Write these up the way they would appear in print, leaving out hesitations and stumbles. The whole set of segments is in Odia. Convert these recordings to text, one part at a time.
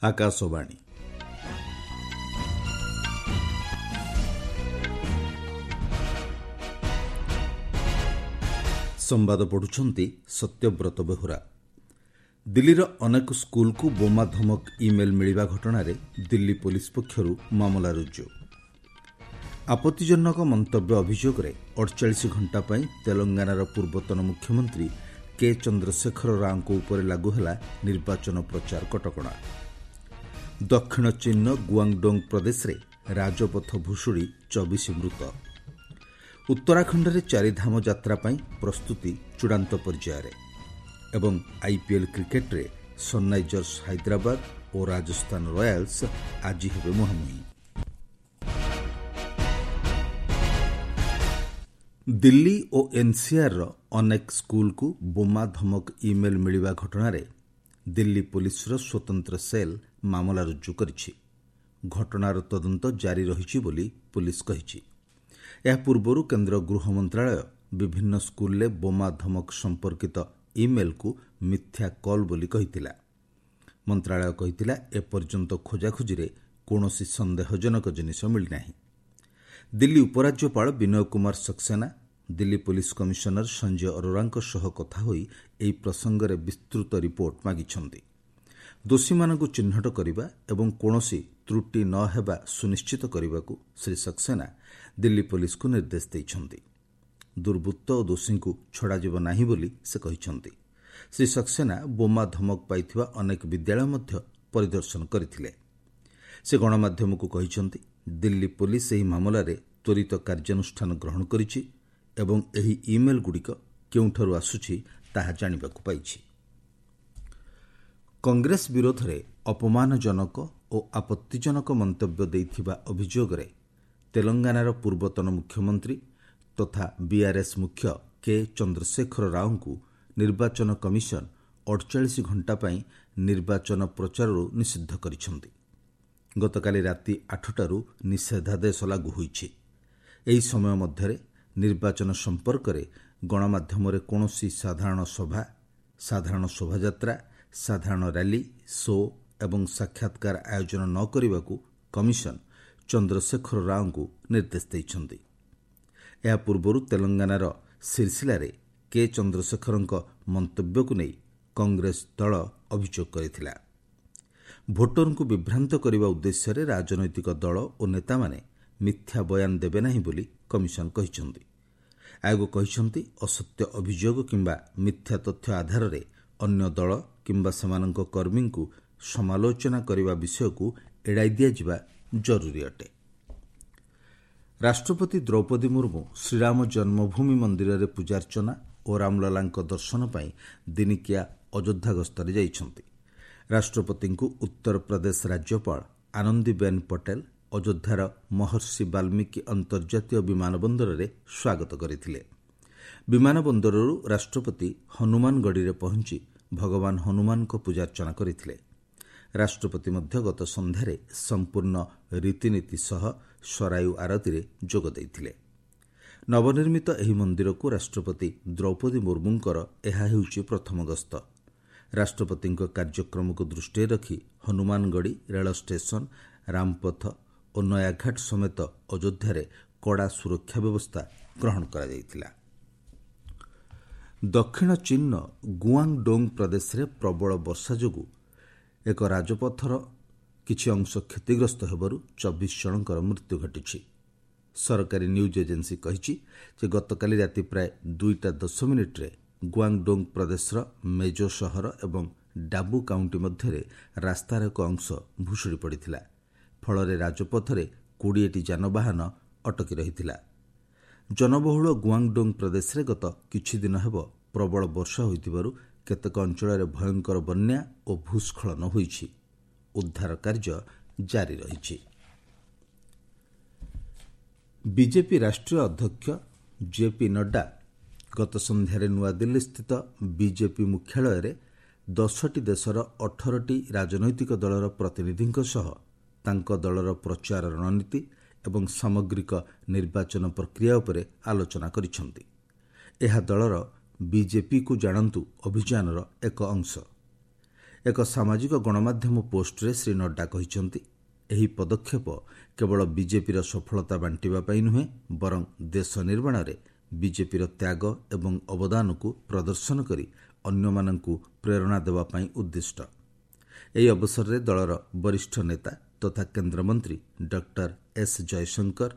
ଆକାଶବାଣୀ। ସମ୍ବାଦ ପଢ଼ୁଛନ୍ତି ସତ୍ୟବ୍ରତ ବେହୁରା। ଦିଲ୍ଲୀର ଅନେକ ସ୍କୁଲକୁ ବୋମା ଧମକ ଇମେଲ୍ ମିଳିବା ଘଟଣାରେ ଦିଲ୍ଲୀ ପୋଲିସ ପକ୍ଷରୁ ମାମଲା ରୁଜୁ। ଆପତ୍ତିଜନକ ମନ୍ତବ୍ୟ ଅଭିଯୋଗରେ 48 ଘଣ୍ଟା ପାଇଁ ତେଲଙ୍ଗାନାର ପୂର୍ବତନ ମୁଖ୍ୟମନ୍ତ୍ରୀ କେ ଚନ୍ଦ୍ରଶେଖର ରାଓଙ୍କ ଉପରେ ଲାଗୁ ହେଲା ନିର୍ବାଚନ ପ୍ରଚାର କଟକଣା। ଦକ୍ଷିଣ ଚୀନ୍ର ଗୁଆଙ୍ଗଡୋଙ୍ଗ ପ୍ରଦେଶରେ ରାଜପଥ ଭୁଷୁଡ଼ି 24 ମୃତ। ଉତ୍ତରାଖଣ୍ଡରେ ଚାରିଧାମ ଯାତ୍ରା ପାଇଁ ପ୍ରସ୍ତୁତି ଚୂଡ଼ାନ୍ତ ପର୍ଯ୍ୟାୟରେ। ଏବଂ ଆଇପିଏଲ୍ କ୍ରିକେଟ୍ରେ ସନ୍ରାଇଜର୍ସ ହାଇଦ୍ରାବାଦ ଓ ରାଜସ୍ଥାନ ରୟାଲ୍ସ ଆଜି ହେବେ ମୁହାଁମୁହିଁ। ଦିଲ୍ଲୀ ଓ ଏନ୍ସିଆର୍ର ଅନେକ ସ୍କୁଲକୁ ବୋମା ଧମକ ଇମେଲ୍ ମିଳିବା ଘଟଣାରେ ଦିଲ୍ଲୀ ପୋଲିସର ସ୍ୱତନ୍ତ୍ର ସେଲ୍ ମାମଲା ରୁଜୁ କରିଛି। ଘଟଣାର ତଦନ୍ତ ଜାରି ରହିଛି ବୋଲି ପୋଲିସ କହିଛି। ଏହା ପୂର୍ବରୁ କେନ୍ଦ୍ର ଗୃହ ମନ୍ତ୍ରଣାଳୟ ବିଭିନ୍ନ ସ୍କୁଲରେ ବୋମା ଧମକ ସମ୍ପର୍କିତ ଇମେଲ୍କୁ ମିଥ୍ୟା କଲ୍ ବୋଲି କହିଥିଲା। ମନ୍ତ୍ରଣାଳୟ କହିଥିଲା, ଏପର୍ଯ୍ୟନ୍ତ ଖୋଜାଖୋଜିରେ କୌଣସି ସନ୍ଦେହଜନକ ଜିନିଷ ମିଳିନାହିଁ। ଦିଲ୍ଲୀ ଉପରାଜ୍ୟପାଳ ବିନୟ କୁମାର ସକ୍ସେନା ଦିଲ୍ଲୀ ପୋଲିସ କମିଶନର ସଞ୍ଜୟ ଅରୋରାଙ୍କ ସହ କଥା ହୋଇ ଏହି ପ୍ରସଙ୍ଗରେ ବିସ୍ତୃତ ରିପୋର୍ଟ ମାଗିଛନ୍ତି। ଦୋଷୀମାନଙ୍କୁ ଚିହ୍ନଟ କରିବା ଏବଂ କୌଣସି ତ୍ରୁଟି ନ ହେବା ସୁନିଶ୍ଚିତ କରିବାକୁ ଶ୍ରୀ ସକ୍ସେନା ଦିଲ୍ଲୀ ପୋଲିସକୁ ନିର୍ଦ୍ଦେଶ ଦେଇଛନ୍ତି। ଦୁର୍ବୃତ୍ତ ଓ ଦୋଷୀଙ୍କୁ ଛଡ଼ାଯିବ ନାହିଁ ବୋଲି ସେ କହିଛନ୍ତି। ଶ୍ରୀ ସକ୍ସେନା ବୋମା ଧମକ ପାଇଥିବା ଅନେକ ବିଦ୍ୟାଳୟ ମଧ୍ୟ ପରିଦର୍ଶନ କରିଥିଲେ। ସେ ଗଣମାଧ୍ୟମକୁ କହିଛନ୍ତି, ଦିଲ୍ଲୀ ପୋଲିସ ଏହି ମାମଲାରେ ତ୍ୱରିତ କାର୍ଯ୍ୟାନୁଷ୍ଠାନ ଗ୍ରହଣ କରିଛି ଏବଂ ଏହି ଇମେଲ୍ଗୁଡ଼ିକ କେଉଁଠାରୁ ଆସୁଛି ତାହା ଜାଣିବାକୁ ପାଇଛି। କଂଗ୍ରେସ ବିରୋଧରେ ଅପମାନଜନକ ଓ ଆପତ୍ତିଜନକ ମନ୍ତବ୍ୟ ଦେଇଥିବା ଅଭିଯୋଗରେ ତେଲଙ୍ଗାନାର ପୂର୍ବତନ ମୁଖ୍ୟମନ୍ତ୍ରୀ ତଥା ବିଆର୍ଏସ୍ ମୁଖ୍ୟ କେ ଚନ୍ଦ୍ରଶେଖର ରାଓଙ୍କୁ ନିର୍ବାଚନ କମିଶନ 48 ଘଣ୍ଟା ପାଇଁ ନିର୍ବାଚନ ପ୍ରଚାରରୁ ନିଷିଦ୍ଧ କରିଛନ୍ତି। ଗତକାଲି ରାତି 8ଟାରୁ ନିଷେଧାଦେଶ ଲାଗୁ ହୋଇଛି। ଏହି ସମୟ ମଧ୍ୟରେ ନିର୍ବାଚନ ସମ୍ପର୍କରେ ଗଣମାଧ୍ୟମରେ କୌଣସି ସାଧାରଣ ସଭା, ସାଧାରଣ ଶୋଭାଯାତ୍ରା, ସାଧାରଣ ର୍ୟାଲି, ଶୋ ଏବଂ ସାକ୍ଷାତକାର ଆୟୋଜନ ନ କରିବାକୁ କମିଶନ ଚନ୍ଦ୍ରଶେଖର ରାଓଙ୍କୁ ନିର୍ଦ୍ଦେଶ ଦେଇଛନ୍ତି। ଏହା ପୂର୍ବରୁ ତେଲଙ୍ଗାନାର ସିରସିଲାରେ କେ ଚନ୍ଦ୍ରଶେଖରଙ୍କ ମନ୍ତବ୍ୟକୁ ନେଇ କଂଗ୍ରେସ ଦଳ ଅଭିଯୋଗ କରିଥିଲା। ଭୋଟରଙ୍କୁ ବିଭ୍ରାନ୍ତ କରିବା ଉଦ୍ଦେଶ୍ୟରେ ରାଜନୈତିକ ଦଳ ଓ ନେତାମାନେ ମିଥ୍ୟା ବୟାନ ଦେବେ ନାହିଁ ବୋଲି କମିଶନ କହିଛନ୍ତି। ଆୟୋଗ କହିଛନ୍ତି, ଅସତ୍ୟ ଅଭିଯୋଗ କିମ୍ବା ମିଥ୍ୟା ତଥ୍ୟ ଆଧାରରେ ଅନ୍ୟ ଦଳ କିମ୍ବା ସେମାନଙ୍କ କର୍ମୀଙ୍କୁ ସମାଲୋଚନା କରିବା ବିଷୟକୁ ଏଡ଼ାଇ ଦିଆଯିବା ଜରୁରୀ ଅଟେ। ରାଷ୍ଟ୍ରପତି ଦ୍ରୌପଦୀ ମୁର୍ମୁ ଶ୍ରୀରାମ ଜନ୍ମଭୂମି ମନ୍ଦିରରେ ପୂଜାର୍ଚ୍ଚନା ଓ ରାମଲଲାଙ୍କ ଦର୍ଶନ ପାଇଁ ଦିନିକିଆ ଅଯୋଧ୍ୟା ଗସ୍ତରେ ଯାଇଛନ୍ତି। ରାଷ୍ଟ୍ରପତିଙ୍କୁ ଉତ୍ତରପ୍ରଦେଶ ରାଜ୍ୟପାଳ ଆନନ୍ଦୀବେନ୍ ପଟେଲ ଅଯୋଧ୍ୟାର ମହର୍ଷି ବାଲ୍ମୀକି ଅନ୍ତର୍ଜାତୀୟ ବିମାନ ବନ୍ଦରରେ ସ୍ୱାଗତ କରିଥିଲେ। ବିମାନ ବନ୍ଦରରୁ ରାଷ୍ଟ୍ରପତି ହନୁମାନଗଡ଼ିରେ ପହଞ୍ଚି ଭଗବାନ ହନୁମାନଙ୍କ ପୂଜାର୍ଚ୍ଚନା କରିଥିଲେ। ରାଷ୍ଟ୍ରପତି ମଧ୍ୟ ଗତ ସନ୍ଧ୍ୟାରେ ସମ୍ପୂର୍ଣ୍ଣ ରୀତିନୀତି ସହ ସରାୟୁ ଆରତୀରେ ଯୋଗ ଦେଇଥିଲେ। ନବନିର୍ମିତ ଏହି ମନ୍ଦିରକୁ ରାଷ୍ଟ୍ରପତି ଦ୍ରୌପଦୀ ମୁର୍ମୁଙ୍କର ଏହା ହେଉଛି ପ୍ରଥମ ଗସ୍ତ। ରାଷ୍ଟ୍ରପତିଙ୍କ କାର୍ଯ୍ୟକ୍ରମକୁ ଦୃଷ୍ଟିରେ ରଖି ହନୁମାନଗଡ଼ି ରେଳ ଷ୍ଟେସନ, ରାମପଥ ଓ ନୟାଘାଟ ସମେତ ଅଯୋଧ୍ୟାରେ କଡ଼ା ସୁରକ୍ଷା ବ୍ୟବସ୍ଥା ଗ୍ରହଣ କରାଯାଇଥିଲା। ଦକ୍ଷିଣ ଚୀନ୍ର ଗୁଆଙ୍ଗଡୋଙ୍ଗ ପ୍ରଦେଶରେ ପ୍ରବଳ ବର୍ଷା ଯୋଗୁଁ ଏକ ରାଜପଥର କିଛି ଅଂଶ କ୍ଷତିଗ୍ରସ୍ତ ହେବାରୁ 24 ଜଣଙ୍କର ମୃତ୍ୟୁ ଘଟିଛି। ସରକାରୀ ନ୍ୟୁଜ୍ ଏଜେନ୍ସି କହିଛି ଯେ ଗତକାଲି ରାତି ପ୍ରାୟ 2ଟା 10 ମିନିଟ୍ରେ ଗୁଆଙ୍ଗଡୋଙ୍ଗ ପ୍ରଦେଶର ମେଜୋ ସହର ଏବଂ ଡାବୁ କାଉଣ୍ଟି ମଧ୍ୟରେ ରାସ୍ତାର ଏକ ଅଂଶ ଭୁଷୁଡ଼ି ପଡ଼ିଥିଲା। ଫଳରେ ରାଜପଥରେ 20ଟି ଯାନବାହନ ଅଟକି ରହିଥିଲା। ଜନବହୁଳ ଗୁଆଙ୍ଗଡୋଙ୍ଗ ପ୍ରଦେଶରେ ଗତ କିଛିଦିନ ହେବ ପ୍ରବଳ ବର୍ଷା ହୋଇଥିବାରୁ କେତେକ ଅଞ୍ଚଳରେ ଭୟଙ୍କର ବନ୍ୟା ଓ ଭୂସ୍ଖଳନ ହୋଇଛି। ଉଦ୍ଧାର କାର୍ଯ୍ୟ ଜାରି ରହିଛି। ବିଜେପି ରାଷ୍ଟ୍ରୀୟ ଅଧ୍ୟକ୍ଷ ଜେପି ନଡ୍ଡା ଗତ ସନ୍ଧ୍ୟାରେ ନୂଆଦିଲ୍ଲୀସ୍ଥିତ ବିଜେପି ମୁଖ୍ୟାଳୟରେ 10ଟି ଦେଶର 18ଟି ରାଜନୈତିକ ଦଳର ପ୍ରତିନିଧିଙ୍କ ସହ ତାଙ୍କ ଦଳର ପ୍ରଚାର ରଣନୀତି ଏବଂ ସାମଗ୍ରିକ ନିର୍ବାଚନ ପ୍ରକ୍ରିୟା ଉପରେ ଆଲୋଚନା କରିଛନ୍ତି। ଏହା ଦଳର ବିଜେପିକୁ ଜାଣନ୍ତୁ ଅଭିଯାନର ଏକ ଅଂଶ। ଏକ ସାମାଜିକ ଗଣମାଧ୍ୟମ ପୋଷ୍ଟରେ ଶ୍ରୀ ନଡ୍ଡା କହିଛନ୍ତି, ଏହି ପଦକ୍ଷେପ କେବଳ ବିଜେପିର ସଫଳତା ବାଣ୍ଟିବା ପାଇଁ ନୁହେଁ, ବରଂ ଦେଶ ନିର୍ମାଣରେ ବିଜେପିର ତ୍ୟାଗ ଏବଂ ଅବଦାନକୁ ପ୍ରଦର୍ଶନ କରି ଅନ୍ୟମାନଙ୍କୁ ପ୍ରେରଣା ଦେବା ପାଇଁ ଉଦ୍ଦିଷ୍ଟ। ଏହି ଅବସରରେ ଦଳର ବରିଷ୍ଠ ନେତା ତଥା କେନ୍ଦ୍ରମନ୍ତ୍ରୀ ଡକ୍ଟର ଏସ୍ ଜୟଶଙ୍କର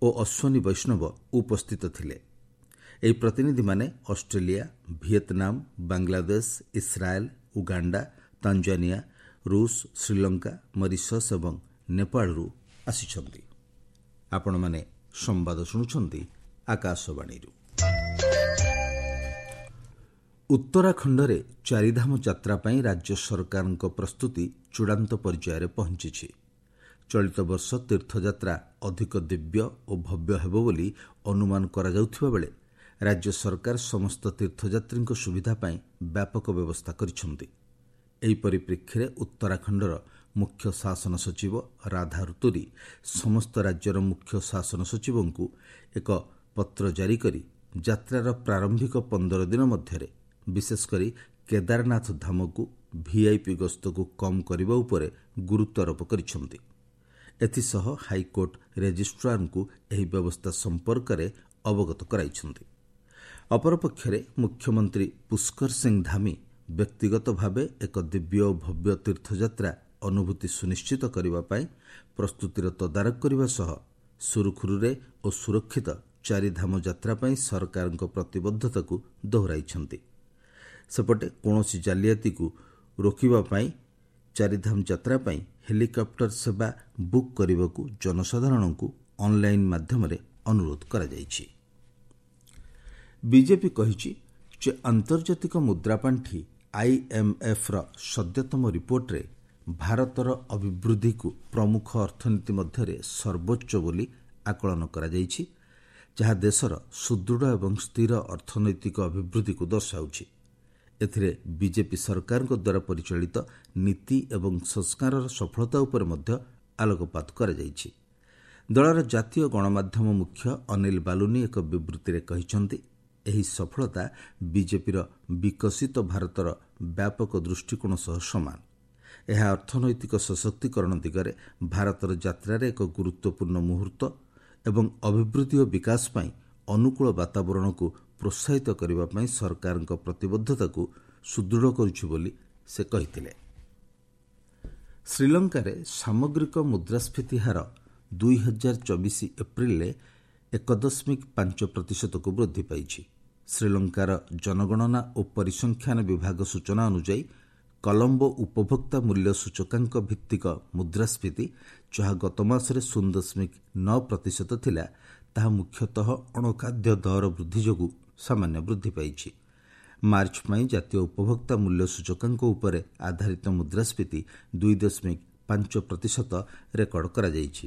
ଓ ଅଶ୍ୱିନୀ ବୈଷ୍ଣବ ଉପସ୍ଥିତ ଥିଲେ। ଏହି ପ୍ରତିନିଧିମାନେ Australia, Vietnam, Bangladesh, Israel, Uganda, Tanzania, ରୁଷ, ଶ୍ରୀଲଙ୍କା, ମରିସସ୍ ଏବଂ ନେପାଳରୁ ଆସିଛନ୍ତି। ଆପଣମାନେ ସମ୍ବାଦ ଶୁଣୁଛନ୍ତି ଆକାଶବାଣୀରୁ। ଉତ୍ତରାଖଣ୍ଡରେ ଚାରିଧାମ ଯାତ୍ରା ପାଇଁ ରାଜ୍ୟ ସରକାରଙ୍କ ପ୍ରସ୍ତୁତି ଚୂଡ଼ାନ୍ତ ପର୍ଯ୍ୟାୟରେ ପହଞ୍ଚିଛି। ଚଳିତ ବର୍ଷ ତୀର୍ଥଯାତ୍ରା ଅଧିକ ଦିବ୍ୟ ଓ ଭବ୍ୟ ହେବ ବୋଲି ଅନୁମାନ କରାଯାଉଥିବା ବେଳେ ରାଜ୍ୟ ସରକାର ସମସ୍ତ ତୀର୍ଥଯାତ୍ରୀଙ୍କ ସୁବିଧା ପାଇଁ ବ୍ୟାପକ ବ୍ୟବସ୍ଥା କରିଛନ୍ତି। ଏହି ପରିପ୍ରେକ୍ଷୀରେ ଉତ୍ତରାଖଣ୍ଡର ମୁଖ୍ୟ ଶାସନ ସଚିବ ରାଧା ଋତୁରୀ ସମସ୍ତ ରାଜ୍ୟର ମୁଖ୍ୟ ଶାସନ ସଚିବଙ୍କୁ ଏକ ପତ୍ର ଜାରି କରି ଯାତ୍ରାର ପ୍ରାରମ୍ଭିକ 15 ଦିନ ମଧ୍ୟରେ ବିଶେଷକରି କେଦାରନାଥ ଧାମକୁ ଭିଆଇପି ଗସ୍ତକୁ କମ୍ କରିବା ଉପରେ ଗୁରୁତ୍ୱାରୋପ କରିଛନ୍ତି। ଏଥିସହ ହାଇକୋର୍ଟ ରେଜିଷ୍ଟ୍ରାରଙ୍କୁ ଏହି ବ୍ୟବସ୍ଥା ସମ୍ପର୍କରେ ଅବଗତ କରାଇଛନ୍ତି। ଅପରପକ୍ଷରେ ମୁଖ୍ୟମନ୍ତ୍ରୀ ପୁଷ୍କର ସିଂ ଧାମି ବ୍ୟକ୍ତିଗତ ଭାବେ ଏକ ଦିବ୍ୟ ଓ ଭବ୍ୟ ତୀର୍ଥଯାତ୍ରା ଅନୁଭୂତି ସୁନିଶ୍ଚିତ କରିବା ପାଇଁ ପ୍ରସ୍ତୁତିର ତଦାରଖ କରିବା ସହ ସୁରୁଖୁରୁରେ ଓ ସୁରକ୍ଷିତ ଚାରିଧାମ ଯାତ୍ରା ପାଇଁ ସରକାରଙ୍କ ପ୍ରତିବଦ୍ଧତାକୁ ଦୋହରାଇଛନ୍ତି। ସେପଟେ କୌଣସି ଜାଲିଆତିକୁ ରୋକିବା ପାଇଁ ଚାରିଧାମ ଯାତ୍ରା ପାଇଁ ହେଲିକପ୍ଟର ସେବା ବୁକ୍ କରିବାକୁ ଜନସାଧାରଣଙ୍କୁ ଅନ୍ଲାଇନ୍ ମାଧ୍ୟମରେ ଅନୁରୋଧ କରାଯାଇଛି। ବିଜେପି କହିଛି ଯେ ଆନ୍ତର୍ଜାତିକ ମୁଦ୍ରାପାଣ୍ଠି ଆଇଏମ୍ଏଫ୍ର ସଦ୍ୟତମ ରିପୋର୍ଟରେ ଭାରତର ଅଭିବୃଦ୍ଧିକୁ ପ୍ରମୁଖ ଅର୍ଥନୀତି ମଧ୍ୟରେ ସର୍ବୋଚ୍ଚ ବୋଲି ଆକଳନ କରାଯାଇଛି, ଯାହା ଦେଶର ସୁଦୃଢ଼ ଏବଂ ସ୍ଥିର ଅର୍ଥନୈତିକ ଅଭିବୃଦ୍ଧିକୁ ଦର୍ଶାଉଛି। ଏଥିରେ ବିଜେପି ସରକାରଙ୍କ ଦ୍ୱାରା ପରିଚାଳିତ ନୀତି ଏବଂ ସଂସ୍କାରର ସଫଳତା ଉପରେ ମଧ୍ୟ ଆଲୋକପାତ କରାଯାଇଛି। ଦଳର ଜାତୀୟ ଗଣମାଧ୍ୟମ ମୁଖ୍ୟ ଅନିଲ ବାଲୁନି ଏକ ବିବୃତ୍ତିରେ କହିଛନ୍ତି, ଏହି ସଫଳତା ବିଜେପିର ବିକଶିତ ଭାରତର ବ୍ୟାପକ ଦୃଷ୍ଟିକୋଣ ସହ ସମାନ। ଏହା ଅର୍ଥନୈତିକ ସଶକ୍ତିକରଣ ଦିଗରେ ଭାରତର ଯାତ୍ରାରେ ଏକ ଗୁରୁତ୍ୱପୂର୍ଣ୍ଣ ମୁହୂର୍ତ୍ତ ଏବଂ ଅଭିବୃଦ୍ଧି ଓ ବିକାଶ ପାଇଁ ଅନୁକୂଳ ବାତାବରଣକୁ ପ୍ରୋତ୍ସାହିତ କରିବା ପାଇଁ ସରକାରଙ୍କ ପ୍ରତିବଦ୍ଧତାକୁ ସୁଦୃଢ଼ କରୁଛି ବୋଲି ସେ କହିଥିଲେ। ଶ୍ରୀଲଙ୍କାରେ ସାମଗ୍ରିକ ମୁଦ୍ରାସ୍ଫୀତି ହାର 2024 ଏପ୍ରିଲରେ 1.5%କୁ ବୃଦ୍ଧି ପାଇଛି। ଶ୍ରୀଲଙ୍କାର ଜନଗଣନା ଓ ପରିସଂଖ୍ୟାନ ବିଭାଗ ସୂଚନା ଅନୁଯାୟୀ କଲମ୍ବୋ ଉପଭୋକ୍ତା ମୂଲ୍ୟ ସୂଚକାଙ୍କ ଭିତ୍ତିକ ମୁଦ୍ରାସ୍ଫୀତି, ଯାହା ଗତ ମାସରେ 0.9% ଥିଲା, ତାହା ମୁଖ୍ୟତଃ ଅଣଖାଦ୍ୟ ଦର ବୃଦ୍ଧି ଯୋଗୁଁ ସାମାନ୍ୟ ବୃଦ୍ଧି ପାଇଛି। ମାର୍ଚ୍ଚ ପାଇଁ ଜାତୀୟ ଉପଭୋକ୍ତା ମୂଲ୍ୟ ସୂଚକାଙ୍କ ଉପରେ ଆଧାରିତ ମୁଦ୍ରାସ୍ଫୀତି 2.5% ରେକର୍ଡ କରାଯାଇଛି।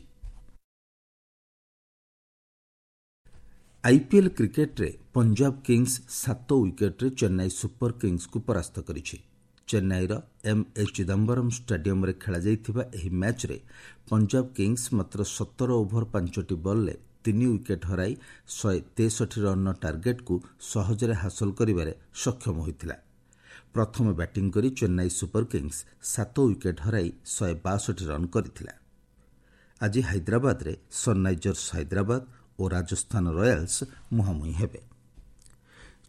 ଆଇପିଏଲ୍ କ୍ରିକେଟ୍ରେ ପଞ୍ଜାବ କିଙ୍ଗସ୍ 7 ୱିକେଟ୍ରେ ଚେନ୍ନାଇ ସୁପର କିଙ୍ଗସ୍କୁ ପରାସ୍ତ କରିଛି। ଚେନ୍ନାଇର ଏମ୍ ଏ ଚିଦାମ୍ବରମ୍ ଷ୍ଟାଡିୟମ୍ରେ ଖେଳାଯାଇଥିବା ଏହି ମ୍ୟାଚ୍ରେ ପଞ୍ଜାବ କିଙ୍ଗସ୍ ମାତ୍ର 17 ଓଭର 5ଟି ବଲ୍ରେ 3 ୱିକେଟ୍ ହରାଇ 163 ରନ୍ର ଟାର୍ଗେଟ୍କୁ ସହଜରେ ହାସଲ କରିବାରେ ସକ୍ଷମ ହୋଇଥିଲା। ପ୍ରଥମେ ବ୍ୟାଟିଂ କରି ଚେନ୍ନାଇ ସୁପର କିଙ୍ଗସ୍ 7 ୱିକେଟ୍ ହରାଇ 162 ରନ୍ କରିଥିଲା। ଆଜି ହାଇଦ୍ରାବାଦରେ ସନ୍ରାଇଜର୍ସ ହାଇଦ୍ରାବାଦ ଓ ରାଜସ୍ଥାନ ରୟାଲ୍ସ ମୁହାଁମୁହିଁ ହେବେ।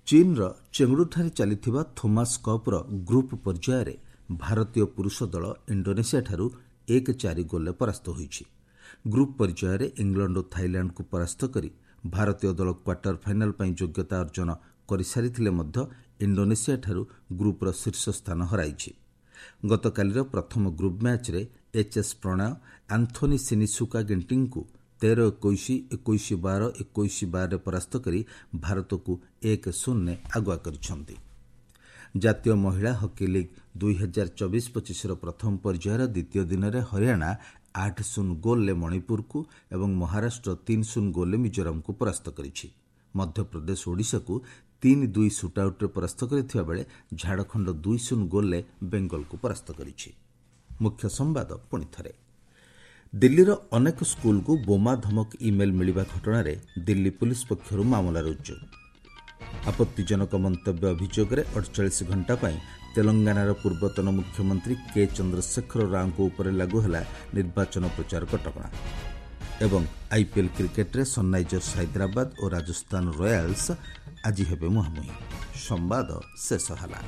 ଚୀନ୍ର ଚେଙ୍ଗଡୁଠାରେ ଚାଲିଥିବା ଥୋମାସ୍ କପ୍ର ଗ୍ରୁପ୍ ପର୍ଯ୍ୟାୟରେ ଭାରତୀୟ ପୁରୁଷ ଦଳ ଇଣ୍ଡୋନେସିଆଠାରୁ 1-4 ଗୋଲ୍ରେ ପରାସ୍ତ ହୋଇଛି। ଗ୍ରୁପ୍ ପର୍ଯ୍ୟାୟରେ ଇଂଲଣ୍ଡ ଓ ଥାଇଲାଣ୍ଡକୁ ପରାସ୍ତ କରି ଭାରତୀୟ ଦଳ କ୍ୱାର୍ଟର ଫାଇନାଲ୍ ପାଇଁ ଯୋଗ୍ୟତା ଅର୍ଜନ କରିସାରିଥିଲେ ମଧ୍ୟ ଇଣ୍ଡୋନେସିଆଠାରୁ ଗ୍ରୁପ୍ର ଶୀର୍ଷ ସ୍ଥାନ ହରାଇଛି। ଗତକାଲିର ପ୍ରଥମ ଗ୍ରୁପ୍ ମ୍ୟାଚ୍ରେ ଏଚ୍ଏସ୍ ପ୍ରଣୟ ଆନ୍ଥୋନି ସିନିସୁକା ଗିଣ୍ଟିଙ୍କୁ 13-21, 21-12, 21-12ରେ ପରାସ୍ତ କରି ଭାରତକୁ 1-0 ଆଗୁଆ କରିଛନ୍ତି। ଜାତୀୟ ମହିଳା ହକି ଲିଗ୍ 2024-25ର ପ୍ରଥମ ପର୍ଯ୍ୟାୟର ଦ୍ୱିତୀୟ ଦିନରେ ହରିୟାଣା 8-0 ଗୋଲ୍ରେ ମଣିପୁରକୁ ଏବଂ ମହାରାଷ୍ଟ୍ର 3-0 ଗୋଲ୍ରେ ମିଜୋରାମକୁ ପରାସ୍ତ କରିଛି। ମଧ୍ୟପ୍ରଦେଶ ଓଡ଼ିଶାକୁ 3-2 ସୁଟ୍ଆଉଟ୍ରେ ପରାସ୍ତ କରିଥିବା ବେଳେ ଝାଡ଼ଖଣ୍ଡ 2-0 ଗୋଲ୍ରେ ବେଙ୍ଗଲକୁ ପରାସ୍ତ କରିଛି। ମୁଖ୍ୟ ସମ୍ବାଦ ପୁଣି ଥରେ। ଦିଲ୍ଲୀର ଅନେକ ସ୍କୁଲକୁ ବୋମା ଧମକ ଇମେଲ୍ ମିଳିବା ଘଟଣାରେ ଦିଲ୍ଲୀ ପୁଲିସ୍ ପକ୍ଷରୁ ମାମଲା ରୁଜୁ। ଆପତ୍ତିଜନକ ମନ୍ତବ୍ୟ ଅଭିଯୋଗରେ 48 ଘଣ୍ଟା ପାଇଁ ତେଲଙ୍ଗାନାର ପୂର୍ବତନ ମୁଖ୍ୟମନ୍ତ୍ରୀ କେ ଚନ୍ଦ୍ରଶେଖର ରାଓଙ୍କ ଉପରେ ଲାଗୁ ହେଲା ନିର୍ବାଚନ ପ୍ରଚାର କଟକଣା। ଏବଂ ଆଇପିଏଲ୍ କ୍ରିକେଟରେ ସନ୍ରାଇଜର୍ସ ହାଇଦ୍ରାବାଦ ଓ ରାଜସ୍ଥାନ ରୟାଲ୍ସ ଆଜି ହେବେ ମୁହାଁମୁହିଁ। ସମ୍ବାଦ ଶେଷ ହେଲା।